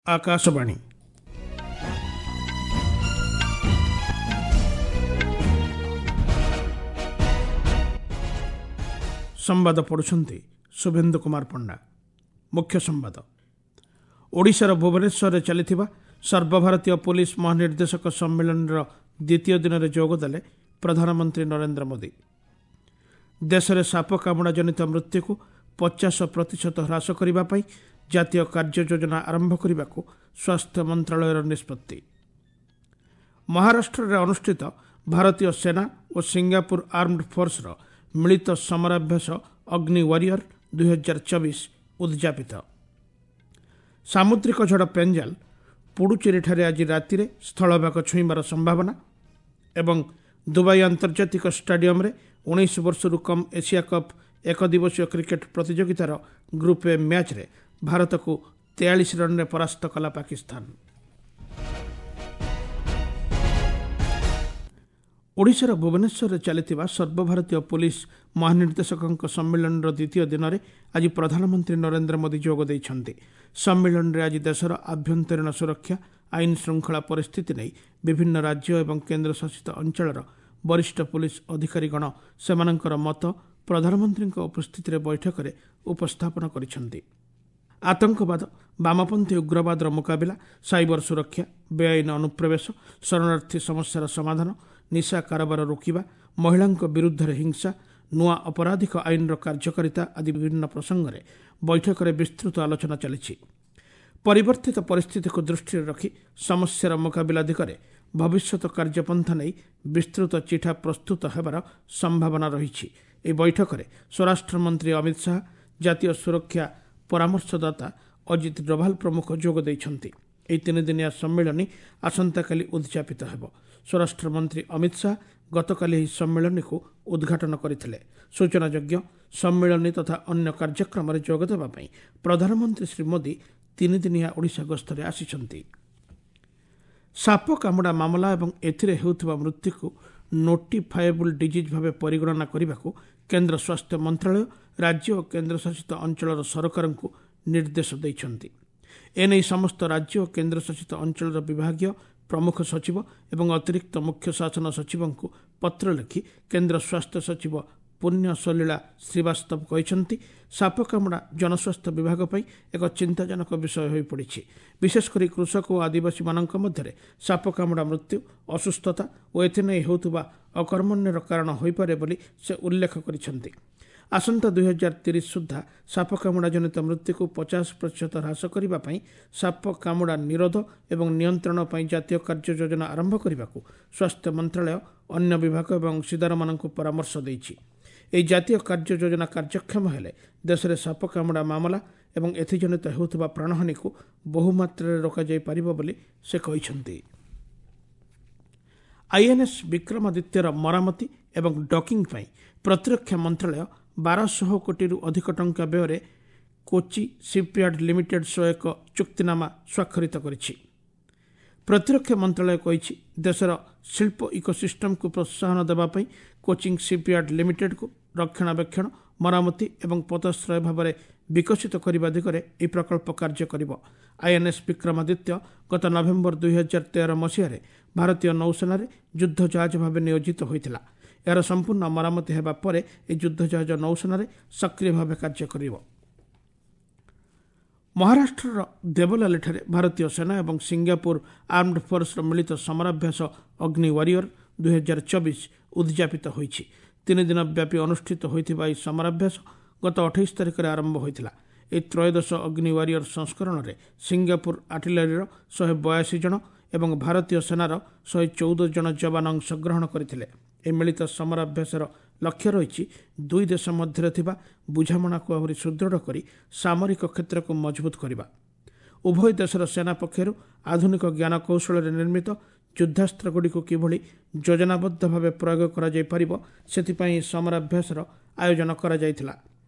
ଆକାଶବାଣୀ। ସମ୍ବାଦ ପଢ଼ୁଛନ୍ତି ଶୁଭେନ୍ଦୁ କୁମାର ପଣ୍ଡା। ମୁଖ୍ୟ ସମ୍ବାଦ। ଓଡ଼ିଶାର ଭୁବନେଶ୍ୱରରେ ଚାଲିଥିବା ସର୍ବଭାରତୀୟ ପୋଲିସ ମହାନିର୍ଦ୍ଦେଶକ ସମ୍ମିଳନୀର ଦ୍ୱିତୀୟ ଦିନରେ ଯୋଗଦେଲେ ପ୍ରଧାନମନ୍ତ୍ରୀ ନରେନ୍ଦ୍ର ମୋଦି। ଦେଶରେ ସାପ କାମୁଡ଼ା ଜନିତ ମୃତ୍ୟୁକୁ 50% ହ୍ରାସ କରିବା ପାଇଁ ଜାତୀୟ କାର୍ଯ୍ୟ ଯୋଜନା ଆରମ୍ଭ କରିବାକୁ ସ୍ୱାସ୍ଥ୍ୟ ମନ୍ତ୍ରାଳୟର ନିଷ୍ପତ୍ତି। ମହାରାଷ୍ଟ୍ରରେ ଅନୁଷ୍ଠିତ ଭାରତୀୟ ସେନା ଓ ସିଙ୍ଗାପୁର ଆର୍ମଡ ଫୋର୍ସର ମିଳିତ ସମରାଭ୍ୟାସ ଅଗ୍ନି ୱାରିୟର 2024 ଉଦଯାପିତ। ସାମୁଦ୍ରିକ ଝଡ଼ ପେଞ୍ଜାଲ ପୁଡୁଚେରୀଠାରେ ଆଜି ରାତିରେ ସ୍ଥଳଭାଗ ଛୁଇଁବାର ସମ୍ଭାବନା ଏବଂ ଦୁବାଇ ଆନ୍ତର୍ଜାତିକ ଷ୍ଟାଡିୟମରେ 19 ବର୍ଷରୁ କମ୍ ଏସିଆ କପ୍ ଏକଦିବସୀୟ କ୍ରିକେଟ୍ ପ୍ରତିଯୋଗିତାର ଗ୍ରୁପ୍ ଏ ମ୍ୟାଚ୍ରେ ଭାରତକୁ 43 ରନ୍ରେ ପରାସ୍ତ କଲା ପାକିସ୍ତାନ। ଓଡ଼ିଶାର ଭୁବନେଶ୍ୱରରେ ଚାଲିଥିବା ସର୍ବଭାରତୀୟ ପୋଲିସ ମହାନିର୍ଦ୍ଦେଶକଙ୍କ ସମ୍ମିଳନୀର ଦ୍ୱିତୀୟ ଦିନରେ ଆଜି ପ୍ରଧାନମନ୍ତ୍ରୀ ନରେନ୍ଦ୍ର ମୋଦି ଯୋଗ ଦେଇଛନ୍ତି। ସମ୍ମିଳନୀରେ ଆଜି ଦେଶର ଆଭ୍ୟନ୍ତରୀଣ ସୁରକ୍ଷା, ଆଇନ ଶୃଙ୍ଖଳା ପରିସ୍ଥିତି ନେଇ ବିଭିନ୍ନ ରାଜ୍ୟ ଏବଂ କେନ୍ଦ୍ରଶାସିତ ଅଞ୍ଚଳର ବରିଷ୍ଠ ପୋଲିସ ଅଧିକାରୀଗଣ ସେମାନଙ୍କର ମତ ପ୍ରଧାନମନ୍ତ୍ରୀଙ୍କ ଉପସ୍ଥିତିରେ ବୈଠକରେ ଉପସ୍ଥାପନ କରିଛନ୍ତି। ଆତଙ୍କବାଦ, ବାମପନ୍ଥୀ ଉଗ୍ରବାଦର ମୁକାବିଲା, ସାଇବର ସୁରକ୍ଷା, ବେଆଇନ ଅନୁପ୍ରବେଶ, ଶରଣାର୍ଥୀ ସମସ୍ୟାର ସମାଧାନ, ନିଶା କାରବାର ରୋକିବା, ମହିଳାଙ୍କ ବିରୁଦ୍ଧରେ ହିଂସା, ନୂଆ ଅପରାଧିକ ଆଇନର କାର୍ଯ୍ୟକାରିତା ଆଦି ବିଭିନ୍ନ ପ୍ରସଙ୍ଗରେ ବୈଠକରେ ବିସ୍ତୃତ ଆଲୋଚନା ଚାଲିଛି। ପରିବର୍ତ୍ତିତ ପରିସ୍ଥିତିକୁ ଦୃଷ୍ଟିରେ ରଖି ସମସ୍ୟାର ମୁକାବିଲା ଦିଗରେ ଭବିଷ୍ୟତ କାର୍ଯ୍ୟପନ୍ଥା ନେଇ ବିସ୍ତୃତ ଚିଠା ପ୍ରସ୍ତୁତ ହେବାର ସମ୍ଭାବନା ରହିଛି। ଏହି ବୈଠକରେ ସ୍ୱରାଷ୍ଟ୍ରମନ୍ତ୍ରୀ ଅମିତ ଶାହା, ଜାତୀୟ ସୁରକ୍ଷା ପରାମର୍ଶଦାତା ଅଜିତ ଡୋଭାଲ ପ୍ରମୁଖ ଯୋଗ ଦେଇଛନ୍ତି। ଏହି ତିନିଦିନିଆ ସମ୍ମିଳନୀ ଆସନ୍ତାକାଲି ଉଦଯାପିତ ହେବ। ସ୍ୱରାଷ୍ଟ୍ରମନ୍ତ୍ରୀ ଅମିତ ଶାହା ଗତକାଲି ଏହି ସମ୍ମିଳନୀକୁ ଉଦ୍ଘାଟନ କରିଥିଲେ। ସୂଚନାଯୋଗ୍ୟ, ସମ୍ମିଳନୀ ତଥା ଅନ୍ୟ କାର୍ଯ୍ୟକ୍ରମରେ ଯୋଗଦେବା ପାଇଁ ପ୍ରଧାନମନ୍ତ୍ରୀ ଶ୍ରୀ ମୋଦି ତିନିଦିନିଆ ଓଡ଼ିଶା ଗସ୍ତରେ ଆସିଛନ୍ତି। ସାପ କାମୁଡ଼ା ମାମଲା ଏବଂ ଏଥିରେ ହେଉଥିବା ମୃତ୍ୟୁକୁ ନୋଟିଫାଏବୁଲ୍ ଡିଜିଜ୍ ଭାବେ ପରିଗଣନା କରିବାକୁ କେନ୍ଦ୍ର ସ୍ୱାସ୍ଥ୍ୟ ମନ୍ତ୍ରାଳୟ ରାଜ୍ୟ ଓ କେନ୍ଦ୍ରଶାସିତ ଅଞ୍ଚଳର ସରକାରଙ୍କୁ ନିର୍ଦ୍ଦେଶ ଦେଇଛନ୍ତି। ଏନେଇ ସମସ୍ତ ରାଜ୍ୟ ଓ କେନ୍ଦ୍ରଶାସିତ ଅଞ୍ଚଳର ବିଭାଗୀୟ ପ୍ରମୁଖ ସଚିବ ଏବଂ ଅତିରିକ୍ତ ମୁଖ୍ୟ ଶାସନ ସଚିବଙ୍କୁ ପତ୍ର ଲେଖି କେନ୍ଦ୍ର ସ୍ୱାସ୍ଥ୍ୟ ସଚିବ ପୁଣ୍ୟ ସଲୀଳା ଶ୍ରୀବାସ୍ତବ କହିଛନ୍ତି, ସାପ କାମୁଡ଼ା ଜନସ୍ୱାସ୍ଥ୍ୟ ବିଭାଗ ପାଇଁ ଏକ ଚିନ୍ତାଜନକ ବିଷୟ ହୋଇପଡ଼ିଛି। ବିଶେଷକରି କୃଷକ ଓ ଆଦିବାସୀମାନଙ୍କ ମଧ୍ୟରେ ସାପ କାମୁଡ଼ା ମୃତ୍ୟୁ, ଅସୁସ୍ଥତା ଓ ଏଥିନେଇ ହେଉଥିବା ଅକର୍ମଣ୍ୟର କାରଣ ହୋଇପାରେ ବୋଲି ସେ ଉଲ୍ଲେଖ କରିଛନ୍ତି। ଆସନ୍ତା 2030 ସୁଦ୍ଧା ସାପ କାମୁଡ଼ା ଜନିତ ମୃତ୍ୟୁକୁ 50% ହ୍ରାସ କରିବା ପାଇଁ ସାପ କାମୁଡ଼ା ନିରୋଧ ଏବଂ ନିୟନ୍ତ୍ରଣ ପାଇଁ ଜାତୀୟ କାର୍ଯ୍ୟ ଯୋଜନା ଆରମ୍ଭ କରିବାକୁ ସ୍ୱାସ୍ଥ୍ୟ ମନ୍ତ୍ରାଳୟ ଅନ୍ୟ ବିଭାଗ ଏବଂ ଅଂଶୀଦାରମାନଙ୍କୁ ପରାମର୍ଶ ଦେଇଛି। ଏହି ଜାତୀୟ କାର୍ଯ୍ୟ ଯୋଜନା କାର୍ଯ୍ୟକ୍ଷମ ହେଲେ ଦେଶରେ ସାପ କାମୁଡ଼ା ମାମଲା ଏବଂ ଏଥିଜନିତ ହେଉଥିବା ପ୍ରାଣହାନିକୁ ବହୁମାତ୍ରାରେ ରୋକାଯାଇପାରିବ ବୋଲି ସେ କହିଛନ୍ତି। ଆଇଏନ୍ଏସ୍ ବିକ୍ରମାଦିତ୍ୟର ମରାମତି ଏବଂ ଡକିଂ ପାଇଁ ପ୍ରତିରକ୍ଷା ମନ୍ତ୍ରାଳୟ 1200 କୋଟିରୁ ଅଧିକ ଟଙ୍କା ବ୍ୟୟରେ କୋଚି ସିପ୍ୟାର୍ଡ ଲିମିଟେଡ୍ ସହ ଏକ ଚୁକ୍ତିନାମା ସ୍ୱାକ୍ଷରିତ କରିଛି। ପ୍ରତିରକ୍ଷା ମନ୍ତ୍ରାଳୟ କହିଛି, ଦେଶର ଶିଳ୍ପ ଇକୋସିଷ୍ଟମକୁ ପ୍ରୋତ୍ସାହନ ଦେବା ପାଇଁ କୋଚିଂ ସିପ୍ୟାର୍ଡ ଲିମିଟେଡ୍କୁ ରକ୍ଷଣାବେକ୍ଷଣ, ମରାମତି ଏବଂ ପୋତାଶ୍ରୟ ଭାବରେ ବିକଶିତ କରିବା ଦିଗରେ ଏହି ପ୍ରକଳ୍ପ କାର୍ଯ୍ୟ କରିବ। ଆଇଏନ୍ଏସ୍ ବିକ୍ରମାଦିତ୍ୟ ଗତ ନଭେମ୍ବର 2013 ମସିହାରେ ଭାରତୀୟ ନୌସେନାରେ ଯୁଦ୍ଧ ଜାହାଜ ଭାବେ ନିୟୋଜିତ ହୋଇଥିଲା। ଏହାର ସମ୍ପୂର୍ଣ୍ଣ ମରାମତି ହେବା ପରେ ଏହି ଯୁଦ୍ଧ ଜାହାଜ ନୌସେନାରେ ସକ୍ରିୟ ଭାବେ କାର୍ଯ୍ୟ କରିବ। ମହାରାଷ୍ଟ୍ରର ଦେବଲାଲିଠାରେ ଭାରତୀୟ ସେନା ଏବଂ ସିଙ୍ଗାପୁର ଆର୍ମଡ ଫୋର୍ସର ମିଳିତ ସମରାଭ୍ୟାସ ଅଗ୍ନି ୱାରିୟର 2024 ଉଦଯାପିତ ହୋଇଛି। ତିନି ଦିନ ବ୍ୟାପୀ ଅନୁଷ୍ଠିତ ହୋଇଥିବା ଏହି ସମରାଭ୍ୟାସ ଗତ 28 ତାରିଖରେ ଆରମ୍ଭ ହୋଇଥିଲା। ଏହି ତ୍ରୟୋଦଶ ଅଗ୍ନି ୱାରିୟର ସଂସ୍କରଣରେ ସିଙ୍ଗାପୁର ଆର୍ଟିଲାରୀର 182 ଜଣ ଏବଂ ଭାରତୀୟ ସେନାର 114 ଜଣ ଯବାନ ଅଂଶଗ୍ରହଣ କରିଥିଲେ। ଏହି ମିଳିତ ସମରାଭ୍ୟାସର ଲକ୍ଷ୍ୟ ରହିଛି ଦୁଇ ଦେଶ ମଧ୍ୟରେ ଥିବା ବୁଝାମଣାକୁ ଆହୁରି ସୁଦୃଢ଼ କରି ସାମରିକ କ୍ଷେତ୍ରକୁ ମଜବୁତ କରିବା। ଉଭୟ ଦେଶର ସେନା ପକ୍ଷରୁ ଆଧୁନିକ ଜ୍ଞାନକୌଶଳରେ ନିର୍ମିତ ଯୁଦ୍ଧାସ୍ତ୍ରଗୁଡ଼ିକୁ କିଭଳି ଯୋଜନାବଦ୍ଧ ଭାବେ ପ୍ରୟୋଗ କରାଯାଇପାରିବ, ସେଥିପାଇଁ ଏହି ସମରାଭ୍ୟାସର ଆୟୋଜନ କରାଯାଇଥିଲା।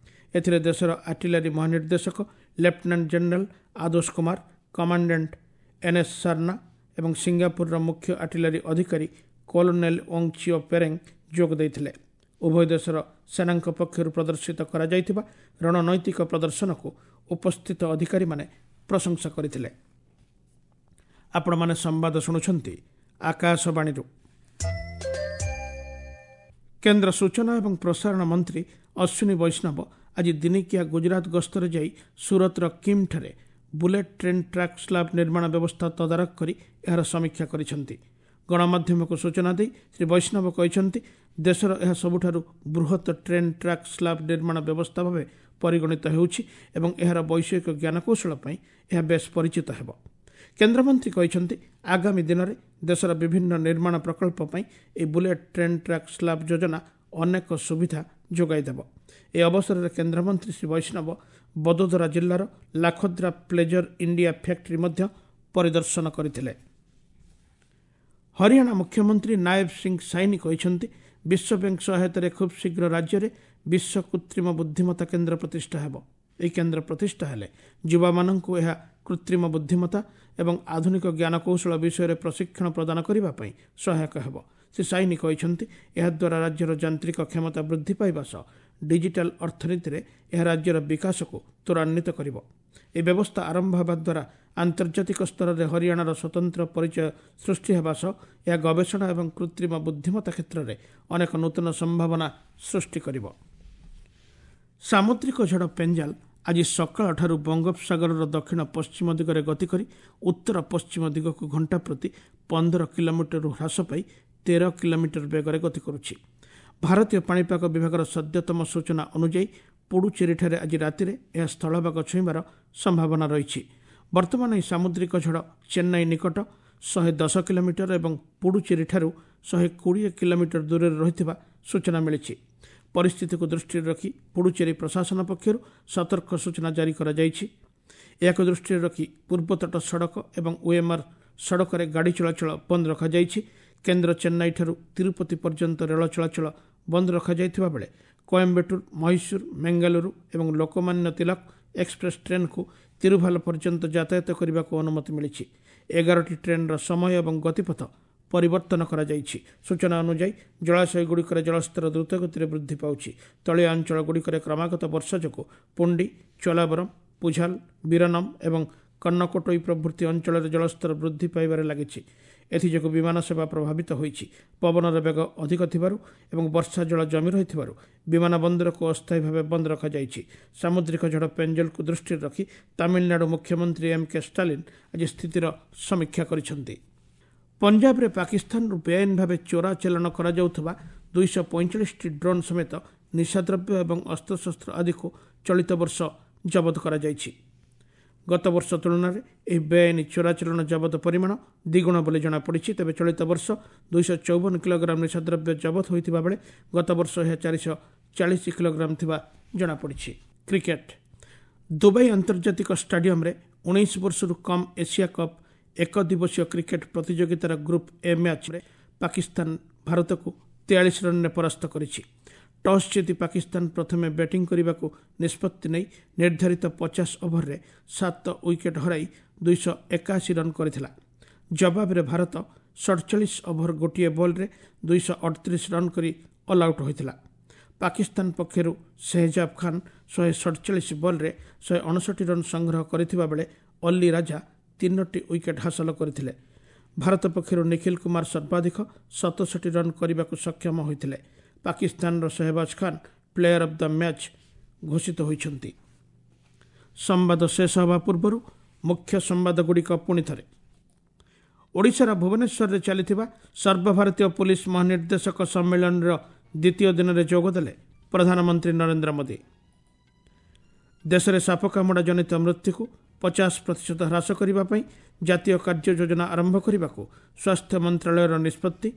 ଏଥିରେ ଦେଶର ଆର୍ଟିଲାରୀ ମହାନିର୍ଦ୍ଦେଶକ lieutenant general Adosh Kumar, commandant NS Sarna ଏବଂ ସିଙ୍ଗାପୁରର ମୁଖ୍ୟ ଆର୍ଟିଲାରୀ ଅଧିକାରୀ କଲୋନେଲ ଓଙ୍ଗ ଚିଓ ପେରେଙ୍ଗ ଯୋଗ ଦେଇଥିଲେ। ଉଭୟ ଦେଶର ସେନାଙ୍କ ପକ୍ଷରୁ ପ୍ରଦର୍ଶିତ କରାଯାଇଥିବା ରଣନୈତିକ ପ୍ରଦର୍ଶନକୁ ଉପସ୍ଥିତ ଅଧିକାରୀମାନେ ପ୍ରଶଂସା କରିଥିଲେ। ଆପଣମାନେ ସମ୍ବାଦ ଶୁଣୁଛନ୍ତି ଆକାଶବାଣୀରୁ। କେନ୍ଦ୍ର ସୂଚନା ଏବଂ ପ୍ରସାରଣ ମନ୍ତ୍ରୀ ଅଶ୍ୱିନୀ ବୈଷ୍ଣବ ଆଜି ଦିନିକିଆ ଗୁଜରାତ ଗସ୍ତରେ ଯାଇ ସୁରତର କିମ୍ଠାରେ ବୁଲେଟ୍ ଟ୍ରେନ୍ ଟ୍ରାକ୍ ସ୍ଲାବ୍ ନିର୍ମାଣ ବ୍ୟବସ୍ଥା ତଦାରଖ କରି ଏହାର ସମୀକ୍ଷା କରିଛନ୍ତି। ଗଣମାଧ୍ୟମକୁ ସୂଚନା ଦେଇ ଶ୍ରୀ ବୈଷ୍ଣବ କହିଛନ୍ତି, ଦେଶର ଏହା ସବୁଠାରୁ ବୃହତ ଟ୍ରେନ୍ ଟ୍ରାକ୍ ସ୍ଲାବ୍ ନିର୍ମାଣ ବ୍ୟବସ୍ଥା ଭାବେ ପରିଗଣିତ ହେଉଛି ଏବଂ ଏହାର ବୈଷୟିକ ଜ୍ଞାନକୌଶଳ ପାଇଁ ଏହା ବେଶ୍ ପରିଚିତ ହେବ। କେନ୍ଦ୍ରମନ୍ତ୍ରୀ କହିଛନ୍ତି, ଆଗାମୀ ଦିନରେ ଦେଶର ବିଭିନ୍ନ ନିର୍ମାଣ ପ୍ରକଳ୍ପ ପାଇଁ ଏହି ବୁଲେଟ୍ ଟ୍ରେନ୍ ଟ୍ରାକ୍ ସ୍ଲାବ୍ ଯୋଜନା ଅନେକ ସୁବିଧା ଯୋଗାଇ ଦେବ। ଏହି ଅବସରରେ କେନ୍ଦ୍ରମନ୍ତ୍ରୀ ଶ୍ରୀ ବୈଷ୍ଣବ ବଦୋଦରା ଜିଲ୍ଲାର ଲାଖୋଦ୍ରା ପ୍ଲେଜର ଇଣ୍ଡିଆ ଫ୍ୟାକ୍ଟ୍ରି ମଧ୍ୟ ପରିଦର୍ଶନ କରିଥିଲେ। ହରିୟାଣା ମୁଖ୍ୟମନ୍ତ୍ରୀ ନାୟବ ସିଂ ସାଇନି କହିଛନ୍ତି, ବିଶ୍ୱବ୍ୟାଙ୍କ ସହାୟତାରେ ଖୁବ୍ ଶୀଘ୍ର ରାଜ୍ୟରେ ବିଶ୍ୱ କୃତ୍ରିମ ବୁଦ୍ଧିମତ୍ତା କେନ୍ଦ୍ର ପ୍ରତିଷ୍ଠା ହେବ। ଏହି କେନ୍ଦ୍ର ପ୍ରତିଷ୍ଠା ହେଲେ ଯୁବାମାନଙ୍କୁ ଏହା କୃତ୍ରିମ ବୁଦ୍ଧିମତ୍ତା ଏବଂ ଆଧୁନିକ ଜ୍ଞାନକୌଶଳ ବିଷୟରେ ପ୍ରଶିକ୍ଷଣ ପ୍ରଦାନ କରିବା ପାଇଁ ସହାୟକ ହେବ। ଶ୍ରୀ ସାଇନି କହିଛନ୍ତି, ଏହାଦ୍ୱାରା ରାଜ୍ୟର ଯାନ୍ତ୍ରିକ କ୍ଷମତା ବୃଦ୍ଧି ପାଇବା ସହ ଡିଜିଟାଲ ଅର୍ଥନୀତିରେ ଏହା ରାଜ୍ୟର ବିକାଶକୁ ତ୍ୱରାନ୍ୱିତ କରିବ। ଏହି ବ୍ୟବସ୍ଥା ଆରମ୍ଭ ହେବା ଦ୍ୱାରା ଆନ୍ତର୍ଜାତିକ ସ୍ତରରେ ହରିୟାଣାର ସ୍ୱତନ୍ତ୍ର ପରିଚୟ ସୃଷ୍ଟି ହେବା ସହ ଏହା ଗବେଷଣା ଏବଂ କୃତ୍ରିମ ବୁଦ୍ଧିମତ୍ତା କ୍ଷେତ୍ରରେ ଅନେକ ନୂତନ ସମ୍ଭାବନା ସୃଷ୍ଟି କରିବ। ସାମୁଦ୍ରିକ ଝଡ଼ ପେଞ୍ଜାଲ ଆଜି ସକାଳଠାରୁ ବଙ୍ଗୋପସାଗରର ଦକ୍ଷିଣ ପଶ୍ଚିମ ଦିଗରେ ଗତି କରି ଉତ୍ତର ପଶ୍ଚିମ ଦିଗକୁ ଘଣ୍ଟା ପ୍ରତି 15 କିଲୋମିଟରରୁ ହ୍ରାସ ପାଇ 13 କିଲୋମିଟର ବେଗରେ ଗତି କରୁଛି। ଭାରତୀୟ ପାଣିପାଗ ବିଭାଗର ସଦ୍ୟତମ ସୂଚନା ଅନୁଯାୟୀ ପୁଡୁଚେରୀଠାରେ ଆଜି ରାତିରେ ଏହା ସ୍ଥଳଭାଗ ଛୁଇଁବାର ସମ୍ଭାବନା ରହିଛି। ବର୍ତ୍ତମାନ ଏହି ସାମୁଦ୍ରିକ ଝଡ଼ ଚେନ୍ନାଇ ନିକଟ 110 କିଲୋମିଟର ଏବଂ ପୁଡୁଚେରୀଠାରୁ 120 କିଲୋମିଟର ଦୂରରେ ରହିଥିବା ସୂଚନା ମିଳିଛି। ପରିସ୍ଥିତିକୁ ଦୃଷ୍ଟିରେ ରଖି ପୁଡୁଚେରୀ ପ୍ରଶାସନ ପକ୍ଷରୁ ସତର୍କ ସୂଚନା ଜାରି କରାଯାଇଛି। ଏହାକୁ ଦୃଷ୍ଟିରେ ରଖି ପୂର୍ବତଟ ସଡ଼କ ଏବଂ ଓଏମ୍ଆର୍ ସଡ଼କରେ ଗାଡ଼ି ଚଳାଚଳ ବନ୍ଦ ରଖାଯାଇଛି। କେନ୍ଦ୍ର ଚେନ୍ନାଇଠାରୁ ତିରୁପତି ପର୍ଯ୍ୟନ୍ତ ରେଳ ଚଳାଚଳ ବନ୍ଦ ରଖାଯାଇଥିବା ବେଳେ କୋଏମ୍ବାଟୁର, ମହୀଶୂର, ମେଙ୍ଗାଲୁରୁ ଏବଂ ଲୋକମାନ୍ୟ ତିଲକ ଏକ୍ସପ୍ରେସ୍ ଟ୍ରେନ୍କୁ ତିରୁଭାଲ ପର୍ଯ୍ୟନ୍ତ ଯାତାୟାତ କରିବାକୁ ଅନୁମତି ମିଳିଛି। 11ଟି ଟ୍ରେନ୍ର ସମୟ ଏବଂ ଗତିପଥ ପରିବର୍ତ୍ତନ କରାଯାଇଛି। ସୂଚନା ଅନୁଯାୟୀ ଜଳାଶୟଗୁଡ଼ିକରେ ଜଳସ୍ତର ଦ୍ରୁତଗତିରେ ବୃଦ୍ଧି ପାଉଛି। ତଳିଆ ଅଞ୍ଚଳଗୁଡ଼ିକରେ କ୍ରମାଗତ ବର୍ଷା ଯୋଗୁଁ ପୁଣ୍ଡି, ଚୋଲାବରମ, ପୁଝାଲ, ବୀରନମ୍ ଏବଂ କନ୍ନକୋଟୋଇ ପ୍ରଭୃତି ଅଞ୍ଚଳରେ ଜଳସ୍ତର ବୃଦ୍ଧି ପାଇବାରେ ଲାଗିଛି। ଏଥିଯୋଗୁଁ ବିମାନ ସେବା ପ୍ରଭାବିତ ହୋଇଛି। ପବନର ବେଗ ଅଧିକ ଥିବାରୁ ଏବଂ ବର୍ଷା ଜଳ ଜମି ରହିଥିବାରୁ ବିମାନ ବନ୍ଦରକୁ ଅସ୍ଥାୟୀ ଭାବେ ବନ୍ଦ ରଖାଯାଇଛି। ସାମୁଦ୍ରିକ ଝଡ଼ ପେଞ୍ଜଲକୁ ଦୃଷ୍ଟିରେ ରଖି ତାମିଲନାଡୁ ମୁଖ୍ୟମନ୍ତ୍ରୀ ଏମ୍ କେ ଷ୍ଟାଲିନ୍ ଆଜି ସ୍ଥିତିର ସମୀକ୍ଷା କରିଛନ୍ତି। ପଞ୍ଜାବରେ ପାକିସ୍ତାନରୁ ବେଆଇନ ଭାବେ ଚୋରା ଚାଲାଣ କରାଯାଉଥିବା 245ଟି ଡ୍ରୋନ୍ ସମେତ ନିଶାଦ୍ରବ୍ୟ ଏବଂ ଅସ୍ତ୍ରଶସ୍ତ୍ର ଆଦିକୁ ଚଳିତ ବର୍ଷ ଜବତ କରାଯାଇଛି। ଗତବର୍ଷ ତୁଳନାରେ ଏହି ବେଆଇନ ଚୋରାଚାଲାଣ ଜବତ ପରିମାଣ ଦ୍ୱିଗୁଣ ବୋଲି ଜଣାପଡ଼ିଛି। ତେବେ ଚଳିତ ବର୍ଷ 254 କିଲୋଗ୍ରାମ ନିଶାଦ୍ରବ୍ୟ ଜବତ ହୋଇଥିବା ବେଳେ ଗତବର୍ଷ ଏହା 440 କିଲୋଗ୍ରାମ ଥିବା ଜଣାପଡ଼ିଛି। କ୍ରିକେଟ୍। ଦୁବାଇ ଆନ୍ତର୍ଜାତିକ ଷ୍ଟାଡିୟମରେ 19 ବର୍ଷରୁ କମ୍ ଏସିଆ କପ୍ ଏକଦିବସୀୟ କ୍ରିକେଟ୍ ପ୍ରତିଯୋଗିତାର ଗ୍ରୁପ୍ ଏ ମ୍ୟାଚ୍ରେ ପାକିସ୍ତାନ ଭାରତକୁ 43 ରନ୍ରେ ପରାସ୍ତ କରିଛି। ଟସ୍ ଜିତି ପାକିସ୍ତାନ ପ୍ରଥମେ ବ୍ୟାଟିଂ କରିବାକୁ ନିଷ୍ପତ୍ତି ନେଇ ନିର୍ଦ୍ଧାରିତ 50 ଓଭରରେ 7 ୱିକେଟ୍ ହରାଇ 281 ରନ୍ କରିଥିଲା। ଜବାବରେ ଭାରତ 47 ଓଭର ଗୋଟିଏ ବଲ୍ରେ 238 ରନ୍ କରି ଅଲ୍ ଆଉଟ୍ ହୋଇଥିଲା। ପାକିସ୍ତାନ ପକ୍ଷରୁ ସେହଜାବ ଖାନ୍ 147 ବଲ୍ରେ 159 ରନ୍ ସଂଗ୍ରହ କରିଥିବା ବେଳେ ଅଲ୍ଲୀ ରାଜା 3ଟି ୱିକେଟ୍ ହାସଲ କରିଥିଲେ। ଭାରତ ପକ୍ଷରୁ ନିଖିଲ କୁମାର ସର୍ବାଧିକ 67 ରନ୍ କରିବାକୁ ସକ୍ଷମ ହୋଇଥିଲେ। ପାକିସ୍ତାନର Shahbaz Khan player of the match ଘୋଷିତ ହୋଇଛନ୍ତି। ସମ୍ବାଦ ଶେଷ ହେବା ପୂର୍ବରୁ ମୁଖ୍ୟ ସମ୍ବାଦଗୁଡ଼ିକ ପୁଣି ଥରେ। ଓଡ଼ିଶାର ଭୁବନେଶ୍ୱରରେ ଚାଲିଥିବା ସର୍ବଭାରତୀୟ ପୋଲିସ ମହାନିର୍ଦ୍ଦେଶକ ସମ୍ମିଳନୀର ଦ୍ୱିତୀୟ ଦିନରେ ଯୋଗଦେଲେ ପ୍ରଧାନମନ୍ତ୍ରୀ ନରେନ୍ଦ୍ର ମୋଦି। ଦେଶରେ ସାପ କାମୁଡ଼ା ଜନିତ ମୃତ୍ୟୁକୁ 50% ହ୍ରାସ କରିବା ପାଇଁ ଜାତୀୟ କାର୍ଯ୍ୟ ଯୋଜନା ଆରମ୍ଭ କରିବାକୁ ସ୍ୱାସ୍ଥ୍ୟ ମନ୍ତ୍ରାଳୟର ନିଷ୍ପତ୍ତି।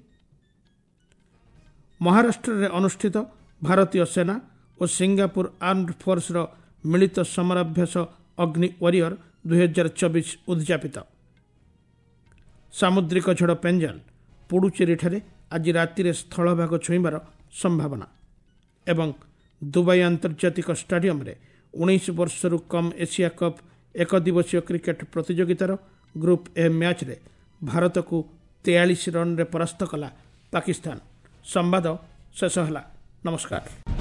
ମହାରାଷ୍ଟ୍ରରେ ଅନୁଷ୍ଠିତ ଭାରତୀୟ ସେନା ଓ ସିଙ୍ଗାପୁର ଆର୍ମଡ ଫୋର୍ସର ମିଳିତ ସମରାଭ୍ୟାସ ଅଗ୍ନି ୱାରିୟର 2024 ଉଦଯାପିତ। ସାମୁଦ୍ରିକ ଝଡ଼ ପେଞ୍ଜାଲ ପୁଡୁଚେରୀଠାରେ ଆଜି ରାତିରେ ସ୍ଥଳଭାଗ ଛୁଇଁବାର ସମ୍ଭାବନା। ଏବଂ ଦୁବାଇ ଆନ୍ତର୍ଜାତିକ ଷ୍ଟାଡିୟମରେ 19 ବର୍ଷରୁ କମ୍ ଏସିଆ କପ୍ ଏକଦିବସୀୟ କ୍ରିକେଟ୍ ପ୍ରତିଯୋଗିତାର ଗ୍ରୁପ୍ ଏ ମ୍ୟାଚ୍ରେ ଭାରତକୁ 43 ରନ୍ରେ ପରାସ୍ତ କଲା ପାକିସ୍ତାନ। ସମ୍ବାଦ ଶେଷ ହେଲା। ନମସ୍କାର।